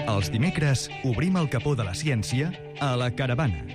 Els dimecres obrim el capó de la ciència a La Caravana.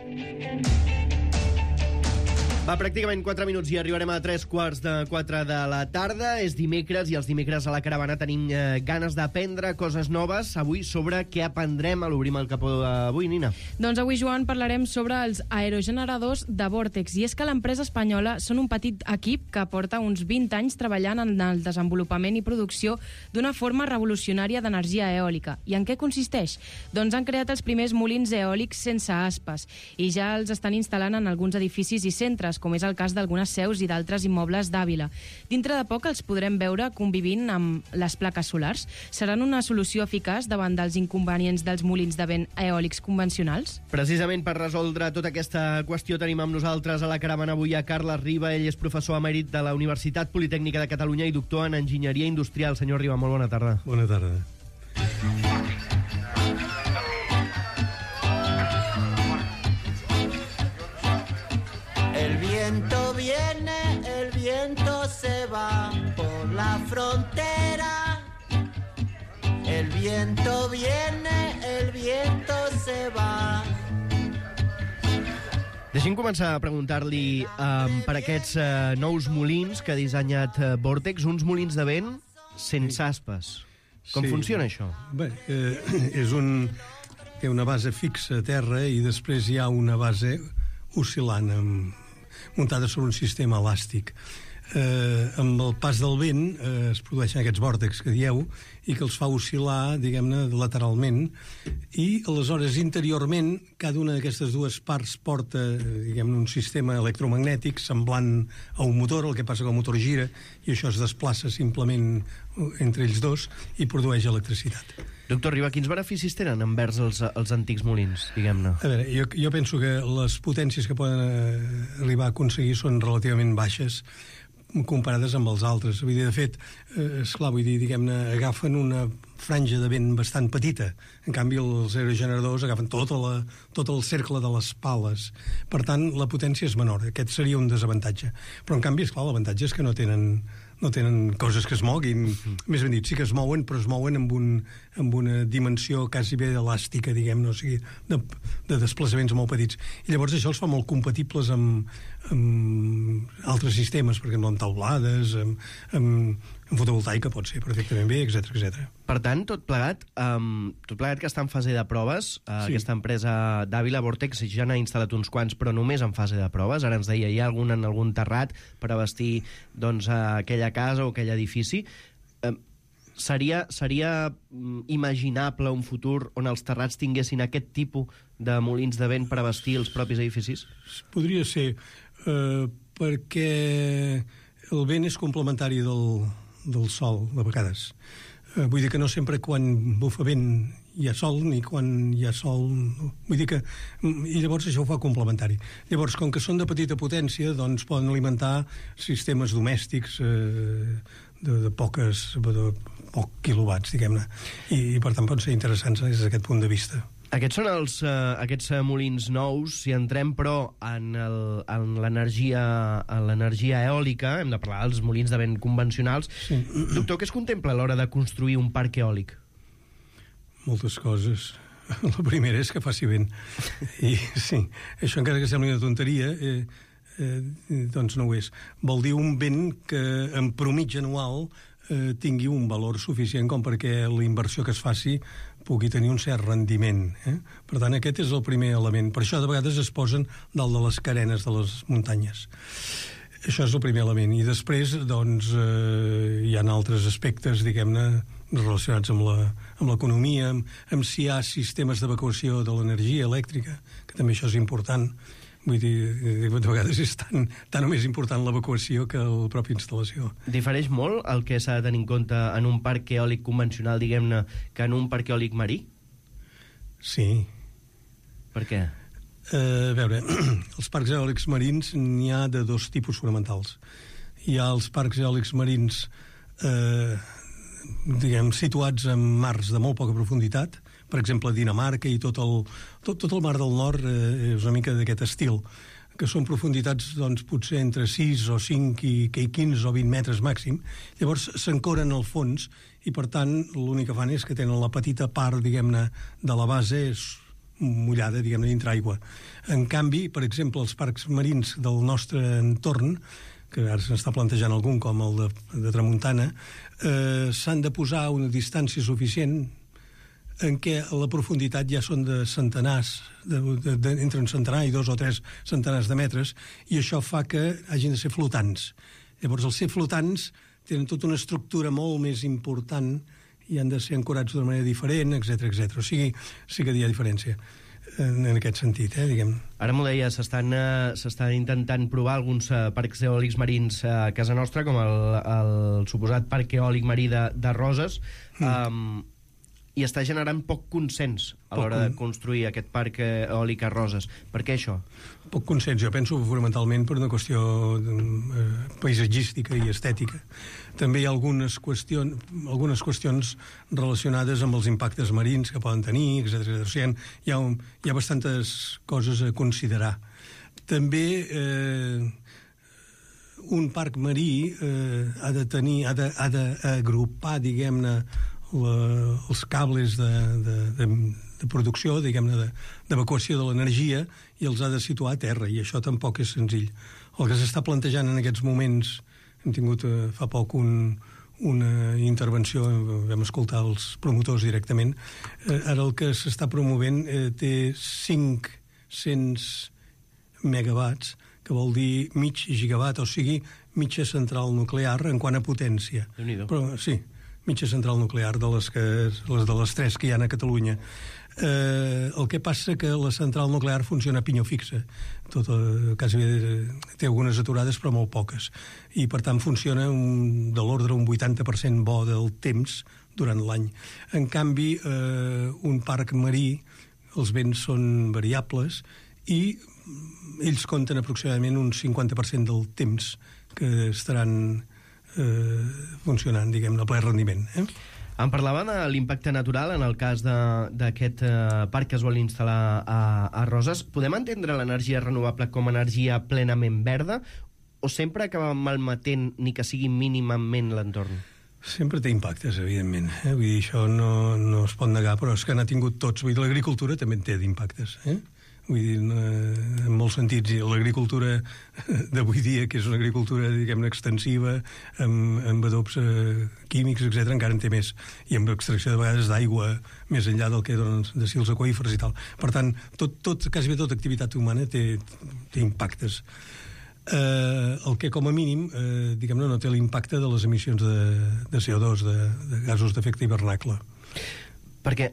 Va, pràcticament 4 minuts i arribarem a 3:45 de la tarda. És dimecres i els dimecres a La Caravana tenim ganes d'aprendre coses noves. Avui sobre què aprendrem a l'Obrim el capó d'avui, Nina? Doncs avui, Joan, parlarem sobre els aerogeneradors de vòrtex. I és que l'empresa espanyola són un petit equip que porta uns 20 anys treballant en el desenvolupament i producció d'una forma revolucionària d'energia eòlica. I en què consisteix? Doncs han creat els primers molins eòlics sense aspes i ja els estan instal·lant en alguns edificis i centres, com és el cas d'algunes seus i d'altres immobles d'Àvila. Dintre de poc els podrem veure convivint amb les plaques solars. Seran una solució eficaç davant dels inconvenients dels molins de vent eòlics convencionals? Precisament per resoldre tota aquesta qüestió tenim amb nosaltres a La Caravana avui a Carles Riba. Ell és professor emèrit de la Universitat Politècnica de Catalunya i doctor en Enginyeria Industrial. Senyor Riba, molt bona tarda. Bona tarda. El viento viene, el viento se va por la frontera. El viento viene, el viento se va. Deixi'm començar a preguntar-li per aquests nous molins que ha dissenyat Vortex, uns molins de vent sense aspes. Com funciona això? Bé, té una base fixa a terra i després hi ha una base oscil·lant muntada sobre un sistema elàstic. Amb el pas del vent es produeixen aquests vòrtex que dieu i que els fa oscil·lar, diguem-ne, lateralment, i aleshores interiorment cada una d'aquestes dues parts porta, diguem-ne, un sistema electromagnètic semblant a un motor. El que passa que el motor gira i això es desplaça simplement entre ells dos i produeix electricitat. Doctor Riba, quins beneficis tenen envers els antics molins, diguem-ne? A veure, jo penso que les potències que poden arribar a aconseguir són relativament baixes comparades amb els altres. Vull dir, de fet, esclar, vull dir, diguem-ne, agafen una franja de vent bastant petita. En canvi, els aerogeneradors agafen tot el cercle de les pales. Per tant, la potència és menor. Aquest seria un desavantatge. Però, en canvi, esclar, l'avantatge és que no tenen coses que es moguin. Més ben dit, sí que es mouen, però es mouen amb una dimensió quasi bé elàstica, diguem-ne, o sigui, de desplaçaments molt petits. I llavors això els fa molt compatibles amb altres sistemes, per exemple, amb taulades, amb fotovoltaica pot ser perfectament bé, etc. Per tant, tot plegat que està en fase de proves, sí. Aquesta empresa d'Àvila, Vortex, ja n'ha instal·lat uns quants, però només en fase de proves. Ara ens deia, hi ha algun terrat per abastir doncs, aquella casa o aquell edifici. Seria imaginable un futur on els terrats tinguessin aquest tipus de molins de vent per abastir els propis edificis? Podria ser, perquè el vent és complementari del sol, de vegades. Vull dir que no sempre quan bufa vent hi ha sol, ni quan hi ha sol... Vull dir que... I llavors això ho fa complementari. Llavors, com que són de petita potència, doncs poden alimentar sistemes domèstics de poc quilowatts, diguem-ne. I per tant poden ser interessants des d'aquest punt de vista. Aquests són aquests molins nous. Si entrem, però, en l'energia eòlica, hem de parlar dels molins de vent convencionals. Sí. Doctor, què es contempla a l'hora de construir un parc eòlic? Moltes coses. La primera és que faci vent. I sí, això encara que sembli una tonteria, doncs no ho és. Vol dir un vent que en promig anual tingui un valor suficient com perquè la inversió que es faci pugui tenir un cert rendiment. Per tant, aquest és el primer element. Per això de vegades es posen dalt de les carenes de les muntanyes. Això és el primer element. I després, doncs, hi ha altres aspectes, diguem-ne, relacionats amb l'economia, amb si hi ha sistemes d'evacuació de l'energia elèctrica, que també això és important. Vull dir, de vegades és tan o més important l'evacuació que la pròpia instal·lació. Difereix molt el que s'ha de tenir en compte en un parc eòlic convencional, diguem-ne, que en un parc eòlic marí? Sí. Per què? A veure, els parcs eòlics marins n'hi ha de dos tipus fonamentals. Hi ha els parcs eòlics marins situats en mars de molt poca profunditat. Per exemple, Dinamarca i tot el mar del nord és una mica d'aquest estil, que són profunditats doncs, potser entre 6 o 5 i 15 o 20 metres màxim. Llavors s'ancoren al fons i, per tant, l'únic que fan és que tenen la petita part, diguem-ne, de la base mullada, diguem-ne, dintre aigua. En canvi, per exemple, els parcs marins del nostre entorn, que ara s'està plantejant algun, com el de Tramuntana, s'han de posar a una distància suficient en què la profunditat ja són de centenars, entre un centenar i 2 o 3 centenars de metres, i això fa que hagin de ser flotants. Llavors, al ser flotants, tenen tota una estructura molt més important i han de ser ancorats d'una manera diferent, etc. O sigui, sí que hi ha diferència en aquest sentit, diguem. Ara m'ho deia, s'està intentant provar alguns parcs eòlics marins a casa nostra, com el suposat parc eòlic marí de Roses, i està generant poc consens a l'hora de construir aquest parc eòlic a Roses. Per què això? Poc consens, jo penso fonamentalment per una qüestió paisatgística i estètica. També hi ha algunes qüestions relacionades amb els impactes marins que poden tenir, etc. O sigui, hi ha bastantes coses a considerar. També un parc marí ha d'agrupar, diguem-ne, els cables de producció, diguem-ne, d'evacuació de l'energia, i els ha de situar a terra, i això tampoc és senzill. El que s'està plantejant en aquests moments, hem tingut fa poc una intervenció, vam escoltar els promotors directament, ara el que s'està promovent té 500 megawatts, que vol dir mig gigawatt, o sigui, mitja central nuclear en quant a potència. Déu-n'hi-do. Però sí, mitja central nuclear de les 3 que hi ha a Catalunya. El que passa que la central nuclear funciona a pinyó fixa. Quasi té algunes aturades, però molt poques. I, per tant, funciona de l'ordre un 80% bo del temps durant l'any. En canvi, un parc marí, els vents són variables i ells compten aproximadament un 50% del temps que estaran funcionant, diguem-ne, a ple rendiment. Em parlava de l'impacte natural en el cas d'aquest parc que es vol instal·lar a Roses. Podem entendre l'energia renovable com a energia plenament verda o sempre acaba malmetent ni que sigui mínimament l'entorn? Sempre té impactes, evidentment. Vull dir, això no es pot negar, però és que n'ha tingut tots. Vull dir, l'agricultura també en té d'impactes. Vull dir, en molts sentits, l'agricultura d'avui dia, que és una agricultura, diguem-ne, extensiva, amb adobs químics, etc., encara en té més, i amb extracció de vegades d'aigua més enllà del que donen de si els aqüífers i tal. Per tant, quasi tota activitat humana té impactes. El que, com a mínim, diguem-ne, no té l'impacte de les emissions de CO2, de gasos d'efecte hivernacle. Perquè,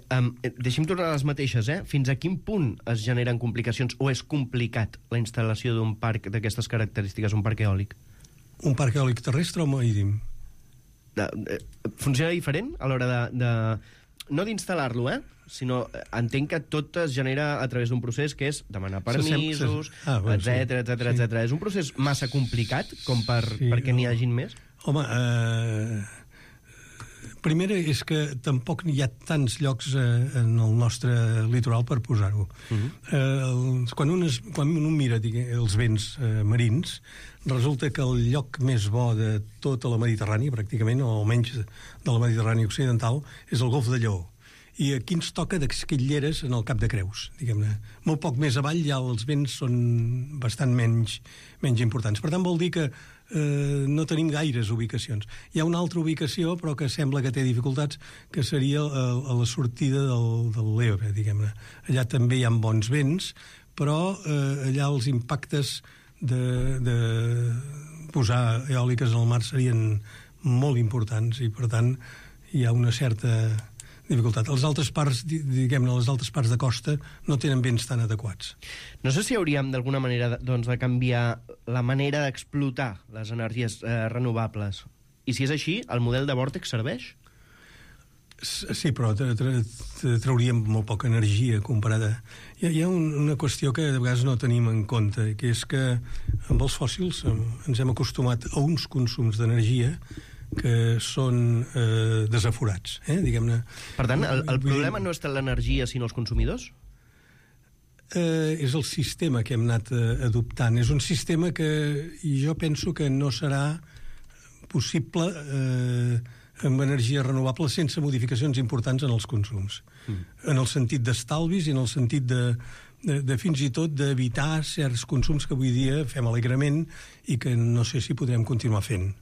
deixi'm tornar a les mateixes, fins a quin punt es generen complicacions o és complicat la instal·lació d'un parc d'aquestes característiques, un parc eòlic? Un parc eòlic terrestre o marítim? Funciona diferent a l'hora no d'instal·lar-lo, sinó entenc que tot es genera a través d'un procés que és demanar permisos, etc. És un procés massa complicat com perquè n'hi hagin més? Home, primera és que tampoc hi ha tants llocs en el nostre litoral per posar-ho. Quan un mira els vents marins, resulta que el lloc més bo de tota la Mediterrània, pràcticament, o almenys de la Mediterrània occidental, és el Golf de Lleó. I aquí ens toca d'esquitleres en el Cap de Creus, diguem-ne. Molt poc més avall ja els vents són bastant menys importants. Per tant, vol dir que no tenim gaires ubicacions. Hi ha una altra ubicació, però que sembla que té dificultats, que seria a la sortida del l'Ebre, diguem-ne. Allà també hi ha bons vents, però allà els impactes de posar eòliques al mar serien molt importants i, per tant, hi ha una certa dificultat. Les altres parts, diguem-ne, les altres parts de costa no tenen vents tan adequats. No sé si hauríem d'alguna manera de canviar la manera d'explotar les energies renovables. I si és així, el model de vòrtex serveix? Sí, però trauríem molt poca energia comparada. Hi ha una qüestió que de vegades no tenim en compte, que és que amb els fòssils ens hem acostumat a uns consums d'energia que són desaforats, diguem-ne. Per tant, el problema no és tant l'energia, sinó els consumidors? és el sistema que hem anat adoptant. És un sistema que jo penso que no serà possible amb energia renovable sense modificacions importants en els consums. En el sentit d'estalvis i en el sentit de fins i tot d'evitar certs consums que avui dia fem alegrement i que no sé si podrem continuar fent.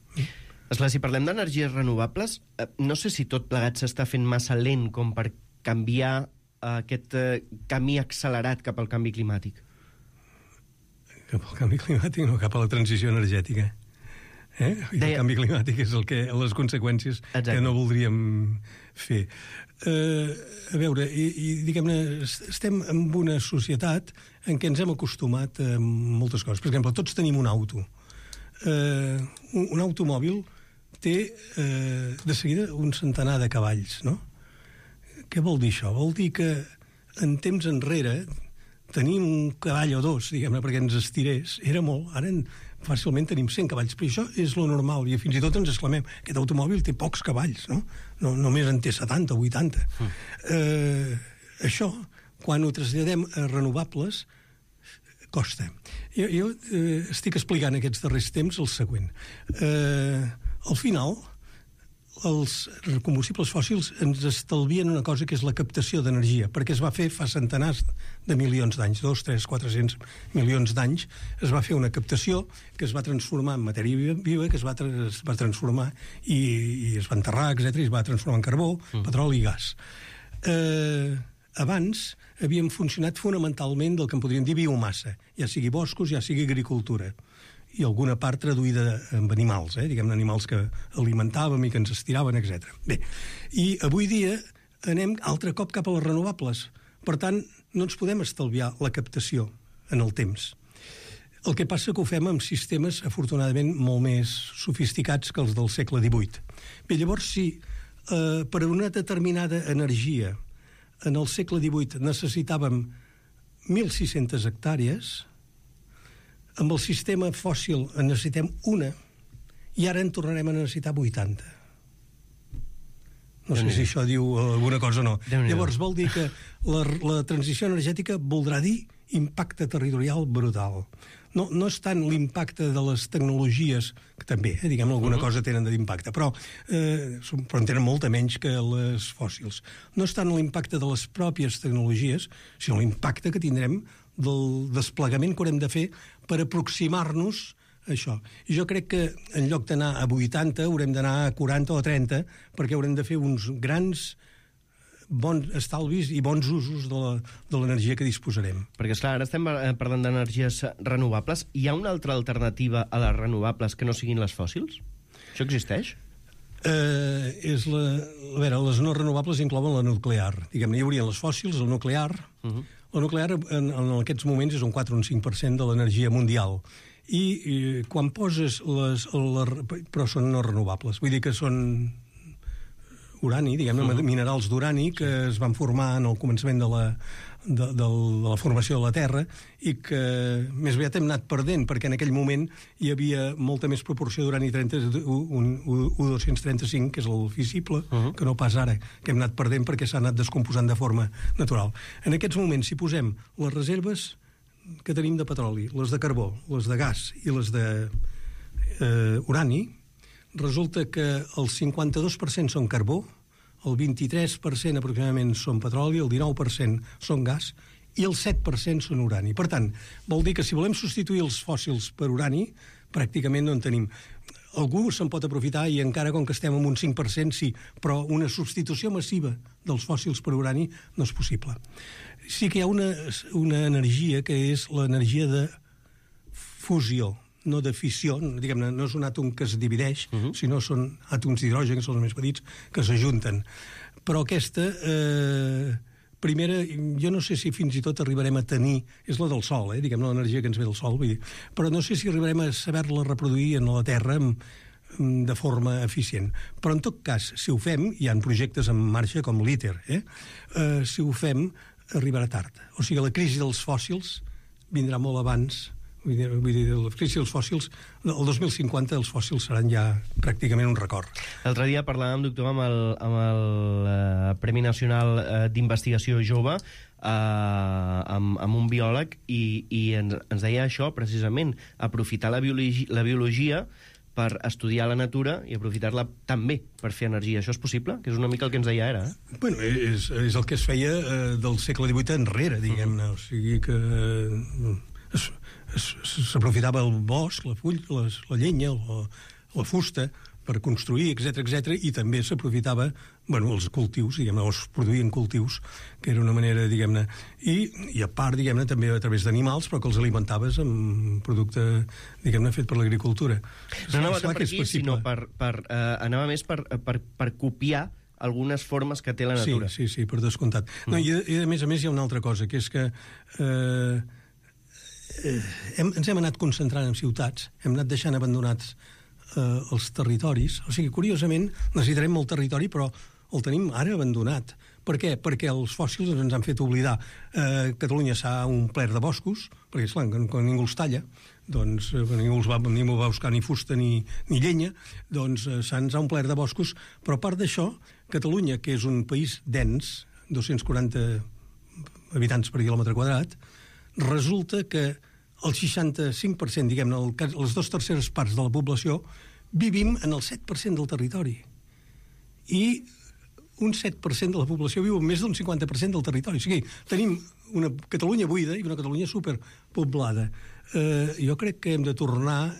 Esclar, si parlem d'energies renovables, no sé si tot plegat s'està fent massa lent com per canviar aquest camí accelerat cap al canvi climàtic. Cap al canvi climàtic, no, cap a la transició energètica. El canvi climàtic és les conseqüències que no voldríem fer. A veure, diguem-ne, estem en una societat en què ens hem acostumat a moltes coses. Per exemple, tots tenim un auto. Un automòbil té de seguida un centenar de cavalls, no? Què vol dir això? Vol dir que en temps enrere tenir un cavall o dos, diguem-ne, perquè ens estirés, era molt. Ara fàcilment tenim 100 cavalls, però això és lo normal, i fins i tot ens exclamem, aquest automòbil té pocs cavalls, no? Només en té 70 o 80. Això, quan ho traslladem a renovables, costa. Jo estic explicant aquests darrers temps el següent. Al final, els combustibles fòssils ens estalvien una cosa que és la captació d'energia, perquè es va fer fa centenars de milions d'anys, 2, 3, 400 milions d'anys, es va fer una captació que es va transformar en matèria viva, que es va transformar i es va enterrar, etc., i es va transformar en carbó, petroli i gas. Abans havíem funcionat fonamentalment del que en podríem dir biomassa, ja sigui boscos, ja sigui agricultura, i alguna part traduïda amb animals, diguem-ne, animals que alimentàvem i que ens estiraven, etc. Bé, i avui dia anem altre cop cap a les renovables. Per tant, no ens podem estalviar la captació en el temps. El que passa que ho fem amb sistemes, afortunadament, molt més sofisticats que els del segle XVIII. Bé, llavors, si per una determinada energia en el segle XVIII necessitàvem 1.600 hectàrees, amb el sistema fòssil en necessitem una i ara en tornarem a necessitar 80. No sé si això diu alguna cosa o no. Llavors vol dir que la transició energètica voldrà dir impacte territorial brutal. No és tant l'impacte de les tecnologies, que també, diguem, alguna cosa tenen d'impacte, però en tenen molta menys que les fòssils. No és tant l'impacte de les pròpies tecnologies, sinó l'impacte que tindrem del desplegament que haurem de fer per aproximar-nos a això. I jo crec que en lloc d'anar a 80 haurem d'anar a 40 o 30 perquè haurem de fer uns grans bons estalvis i bons usos de l'energia que disposarem. Perquè, esclar, ara estem parlant d'energies renovables. Hi ha una altra alternativa a les renovables que no siguin les fòssils? Això existeix? A veure, les no renovables inclouen la nuclear. Diguem-ne, hi haurien les fòssils, el nuclear. La nuclear en aquests moments és un 4 o un 5% de l'energia mundial. I quan poses però són no renovables. Vull dir que són urani, diguem-ne, minerals d'urani que es van formar en el començament de la formació de la Terra i que més aviat hem anat perdent perquè en aquell moment hi havia molta més proporció d'urani 235, que és el fissible, que no pas ara, que hem anat perdent perquè s'ha anat descomposant de forma natural. En aquests moments, si posem les reserves que tenim de petroli, les de carbó, les de gas i les d'urani, resulta que el 52% són carbó, el 23% aproximadament són petroli, el 19% són gas i el 7% són urani. Per tant, vol dir que si volem substituir els fòssils per urani, pràcticament no en tenim. Algú se'n pot aprofitar i encara com que estem en un 5% sí, però una substitució massiva dels fòssils per urani no és possible. Sí que hi ha una energia que és l'energia de fusió, no de fissió, diguem-ne, no és un àtom que es divideix, sinó són àtoms d'hidrogen, que són els més petits, que s'ajunten. Però aquesta, primera, jo no sé si fins i tot arribarem a tenir, és la del Sol, diguem-ne, l'energia que ens ve del Sol, vull dir, però no sé si arribarem a saber-la reproduir en la Terra de forma eficient. Però en tot cas, si ho fem, hi ha projectes en marxa com l'ITER, si ho fem, arribarà tard. O sigui, la crisi dels fòssils vindrà molt abans Vull dir, la crisi dels fòssils, el 2050 els fòssils seran ja pràcticament un record. L'altre dia parlàvem, doctor, amb el Premi Nacional d'Investigació Jove, amb un biòleg, i ens deia això, precisament, aprofitar la biologia per estudiar la natura i aprofitar-la també per fer energia. Això és possible? Que és una mica el que ens deia ara, eh? Bueno, és el que es feia del segle XVIII enrere, diguem-ne. O sigui que s'aprofitava el bosc, la llenya, la fusta, per construir, etc, i també s'aprofitava, els cultius, diguem-ne, o es produïen cultius, que era una manera, diguem-ne, i a part, diguem-ne, també a través d'animals, però que els alimentaves amb producte, diguem-ne, fet per l'agricultura. No anava tant per aquí, sinó anava més per copiar algunes formes que té la natura. Sí, per descomptat. No, i a més hi ha una altra cosa, que és que ens hem anat concentrant en ciutats, hem anat deixant abandonats els territoris. O sigui, curiosament, necessitarem molt territori, però el tenim ara abandonat. Per què? Perquè els fòssils ens han fet oblidar. Catalunya s'ha omplert de boscos, perquè, esclar, quan ningú els talla, doncs ningú va buscar ni fusta ni llenya, doncs se'ns ha omplert de boscos, però a part d'això, Catalunya, que és un país dens, 240 habitants per quilòmetre quadrat, resulta que el 65%, diguem-ne, les 2/3 parts de la població, vivim en el 7% del territori. I un 7% de la població viu en més d'un 50% del territori. O sigui, tenim una Catalunya buida i una Catalunya superpoblada. Jo crec que hem de tornar a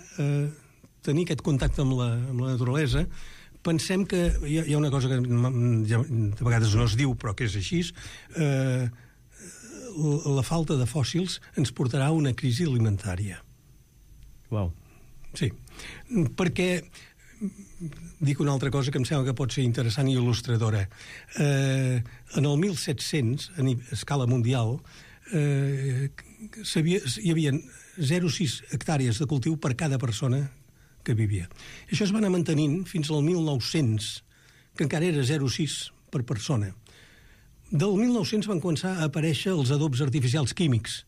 tenir aquest contacte amb la naturalesa. Pensem que hi ha una cosa que de vegades no es diu, però que és així, la falta de fòssils ens portarà a una crisi alimentària. Uau. Sí, perquè dic una altra cosa que em sembla que pot ser interessant i il·lustradora. En el 1700, a escala mundial, hi havia 0,6 hectàrees de cultiu per cada persona que vivia. Això es va anar mantenint fins al 1900, que encara era 0,6 per persona. Del 1900 van començar a aparèixer els adobs artificials químics,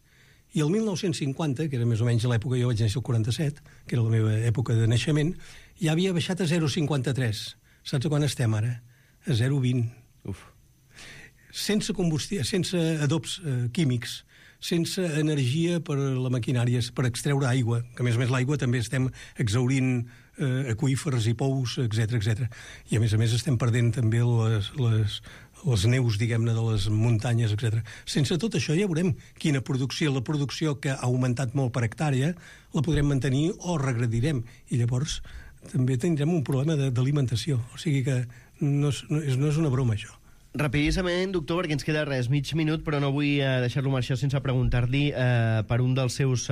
i el 1950, que era més o menys l'època, jo vaig néixer el 47, que era la meva època de naixement, ja havia baixat a 0,53. Saps a quan estem ara? A 0,20. Sense adobs químics, sense energia per la maquinària, per extreure aigua, que a més l'aigua també estem exhaurint aqüífers i pous, etc. I a més estem perdent també les neus, diguem-ne, de les muntanyes, etc. Sense tot això ja veurem quina producció, la producció que ha augmentat molt per hectàrea, la podrem mantenir o regredirem. I llavors també tindrem un problema d'alimentació. O sigui que no és una broma, això. Rapidíssimament, doctor, perquè ens queda mig minut, però no vull deixar-lo marxar sense preguntar-li per un dels seus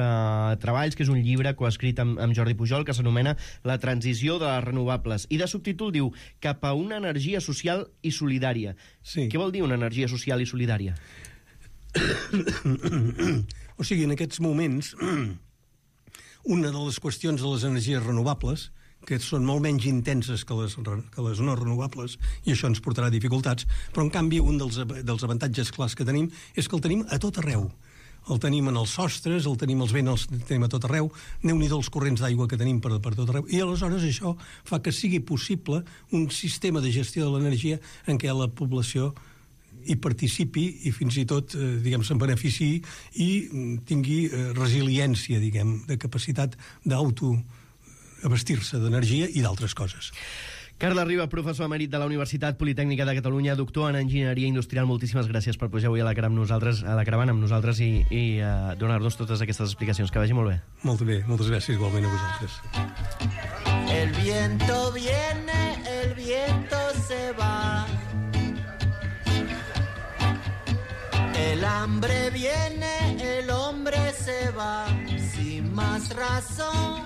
treballs, que és un llibre coescrit amb Jordi Pujol, que s'anomena La transició de les renovables. I de subtítol diu Cap a una energia social i solidària. Sí. Què vol dir una energia social i solidària? O sigui, en aquests moments, una de les qüestions de les energies renovables, que són molt menys intenses que les no renovables, i això ens portarà dificultats, però en canvi un dels avantatges clars que tenim és que el tenim a tot arreu. El tenim en els sostres, el tenim als vents, el tenim a tot arreu, Déu-n'hi-do els corrents d'aigua que tenim per tot arreu, i aleshores això fa que sigui possible un sistema de gestió de l'energia en què la població hi participi i fins i tot, se'n beneficiï i tingui resiliència, de capacitat d'autoabastir-se d'energia i d'altres coses. Carles Riba, professor emèrit de la Universitat Politècnica de Catalunya, doctor en Enginyeria Industrial, moltíssimes gràcies per pujar avui a la caravana amb nosaltres i donar-nos totes aquestes explicacions. Que vagi molt bé. Molt bé, moltes gràcies igualment a vosaltres. El viento viene, el viento se va. El hambre viene, el hombre se va. Sin más razón